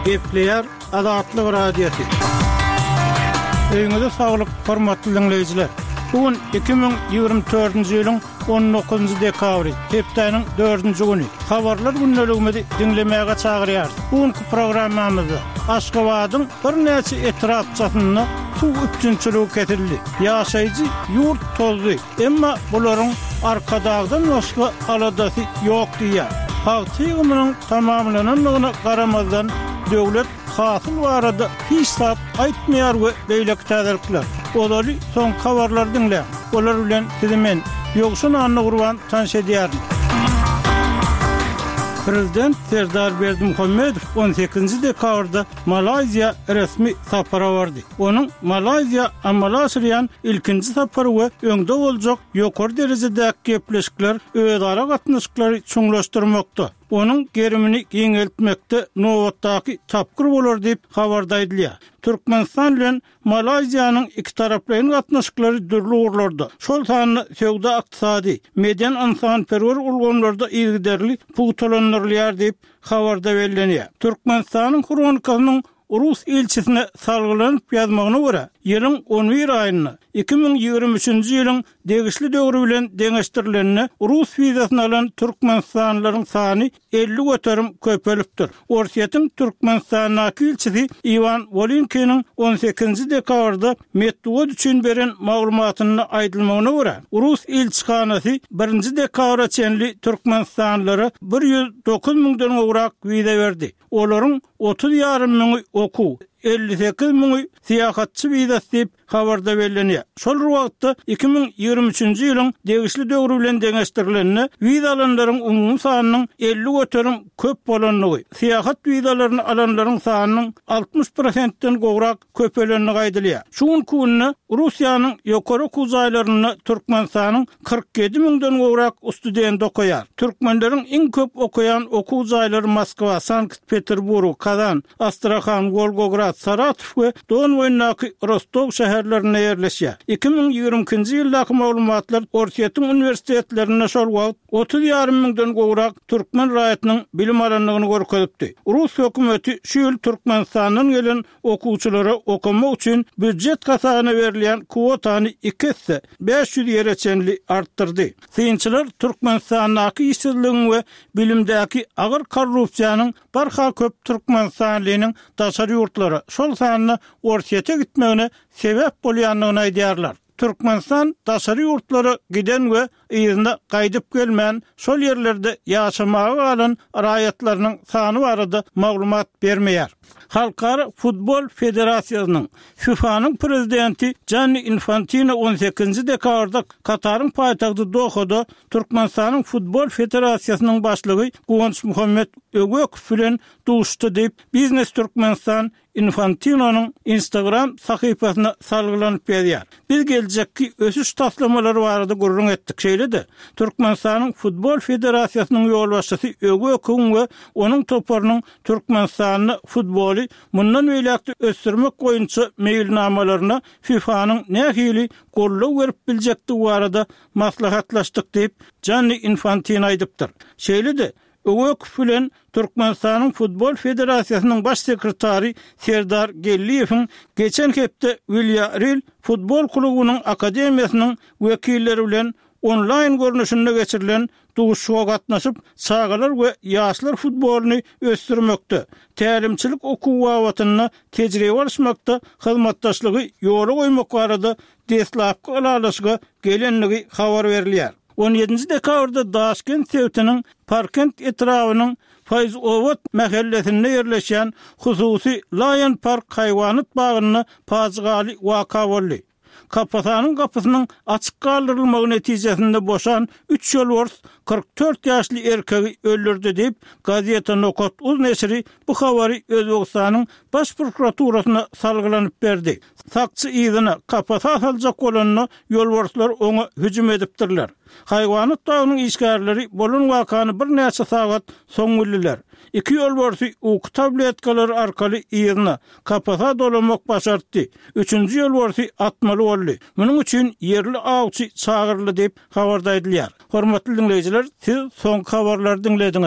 Gepleýär Azatlyk Radiosy. Öýüňize saglyk, hormatly diňleýjiler! Bu gün 2024-nji ýylyň 19-njy dekabry, hepdäniň dördünji güni. Habarlar gündeligimizi diňlemäge çagyrýarys. Bu günki programmamyzda Aşgabadyň birnäçe etrapçasynda suw üpjünçiligi kesildi. Ýaşaýjy ýurt tozdy, emma bularyň Arkadagdan başga aladasy ýok diýýär. Pagta ýygymynyň tamamlanandygyna garamazdan, döwlet hasyl barada hiç zat aýtmaýar we beýleki täzelikler. Ozaly soňky habarlary diňläň. Olar bilen sizi men, Ýowşan Annagurban tanyş edýärin. Prezident Serdar Berdimuhamedow on sekizinji dekabrda Malaýziýa resmi sapara bardy. Onuň Malaýziýa amala aşyrýan ilkinji sapary we öňde boljak ýokary derejedäki gepleşikler özara gatnaşyklary çuňlaşdyrmakda, onuň gerimini giňeltmekde nobatdaky tapgyr bolar diýip, habarda aýdylýar. Türkmenistan bilen Malaýziýanyň ikitaraplaýyn gatnaşyklary dürli ugurlarda, şol sanda söwda-ykdysady, medeni-ynsanperwer ulgamlarda yzygiderli pugtalandyrylýar diýip, habarda bellenýär. Türkmenistanyň Hronikasynyň rus ilçisine salgylanyp ýazmagyna görä, ýylyň on bir aýynda, 2023-nji ýylyň degişli döwri bilen deňeşdirilende, rus wizasyny alan türkmenistanlylaryň sany 50% köpelipdir. Orsýetiň Türkmenistandaky ilçisi Iwan Wolynkiniň on sekizinji dekabrda metbugat üçin beren maglumatynda aýdylmagyna görä, rus ilçihanasy birinji dekabra çenli türkmenistanlylara 109 müňden gowrak wiza berdi. Olaryň 30 ýarym müňi okuw, 58 müňi syýahatçy wizasy diýip, habarda bellenýär. Şol bir wagtda, 2023-nji ýylyň degişli döwri bilen deňeşdirilende, wiza alanlaryň umumy sanynyň 50% köp bolandygy, syýahat wizalaryny alanlaryň sanynyň 60 prosentden gowrak köpelendigi aýdylýar. Şu günki günde Russiýanyň ýokary okuw jaýlarynda Türkmenistanyň 47 müňden gowrak studenti okaýar. Türkmenleriň iň köp okaýan okuw jaýlary Moskwa, Sankt-Peterburg, Kazan, Astrahan, Wolgograd, Saratow we Don boýundaky Rostow şäherlerinde ýerleşýär. 2022-nji ýyldaky maglumatlar Orsýetiň uniwersitetlerinde şol wagt 30 ýarym müňden gowrak türkmen raýatynyň bilim alandygyny görkezipdi. Rus hökümeti şu ýyl Türkmenistandan gelen okuwçylara okamak üçin býujet hasabyna berilýän kwotany iki esse, 500 ýere çenli artdyrdy. Synçylar Türkmenistandaky işsizligiň we bilimdäki agyr korrupsiýanyň barha köp türkmenistanlynyň daşary ýurtlara, şol sanda Orsýete gitmegine sebäp bolýandygyny aýdýarlar. Türkmenistan daşary ýurtlara giden we yzyna gaýdyp gelmän, şol ýerlerde ýaşamaga galan raýatlarynyň sany barada maglumat bermeýär. Halkara futbol federasiýasynyň, FIFA-nyň prezidenti Janni Infantino on sekizinji dekabrda Kataryň paýtagty Dohada Türkmenistanyň Futbol federasiýasynyň başlygy Guwançmuhammet Öwekow bilen duşuşdy diýip, Biznes Türkmenistan Infantinonyň Instagram sahypasyna salgylanyp ýazýar. Biz geljekki ösüş taslamalary barada gürrüň etdik. Şeýle-de, Türkmenistanyň Futbol federasiýasynyň ýolbaşçysy Öwekowyň we onuň toparynyň Türkmenistanda futboly mundan beýläk-de ösdürmek boýunça meýilnamalaryna FIFA-nyň nähili goldaw berip biljekdigi barada maslahatlaşdyk diýip, Janni Infantino aýdypdyr. Şeýle-de, Öwekow bilen Türkmenistanyň Futbol federasiýasynyň baş sekretary Serdar Geldiýewiň geçen hepde Wilýarreal futbol klubunyň akademiýasynyň wekilleri bilen onlaýn görnüşinde geçirilen duşuşyga gatnaşyp, çagalar we ýaşlar futbolyny ösdürmekde, tälimçilik okuwy babatynda tejribe alyşmakda hyzmatdaşlygy ýola goýmak barada deslapky ylalaşyga gelendigi habar berilýär. On ýedinji dekabrda Daşkent sebitiniň Parkent etrabynyň Faýzobat mähellesinde ýerleşýän hususy Lion Park haýwanat bagynda pajygaly waka boldy. Kapasanyň gapysynyň açyk galdyrylmagy netijesinde boşan üç ýolbars 44 ýaşly erkegi öldürdi diýip, Gazeta Nokat uz neşiri bu habary Özbegistanyň Baş prokuraturasyna salgylanyp berdi. Sakçy yzyna, kapasa saljak bolanda, ýolbarslar oňa hüjüm edipdirler. Haýwanat bagynyň işgärleri bolan wakany birnäçe sagat soň bildiler. Iki ýolbarsy uky tabletkalary arkaly yzyna, kapasa dolamak başartdy. Üçünji ýolbarsy atmaly boldy. Munuň üçin ýerli awçy çagyryldy diýip, habarda aýdylýar. Hormatly diňleýjiler, siz soňky habarlary diňlediňiz.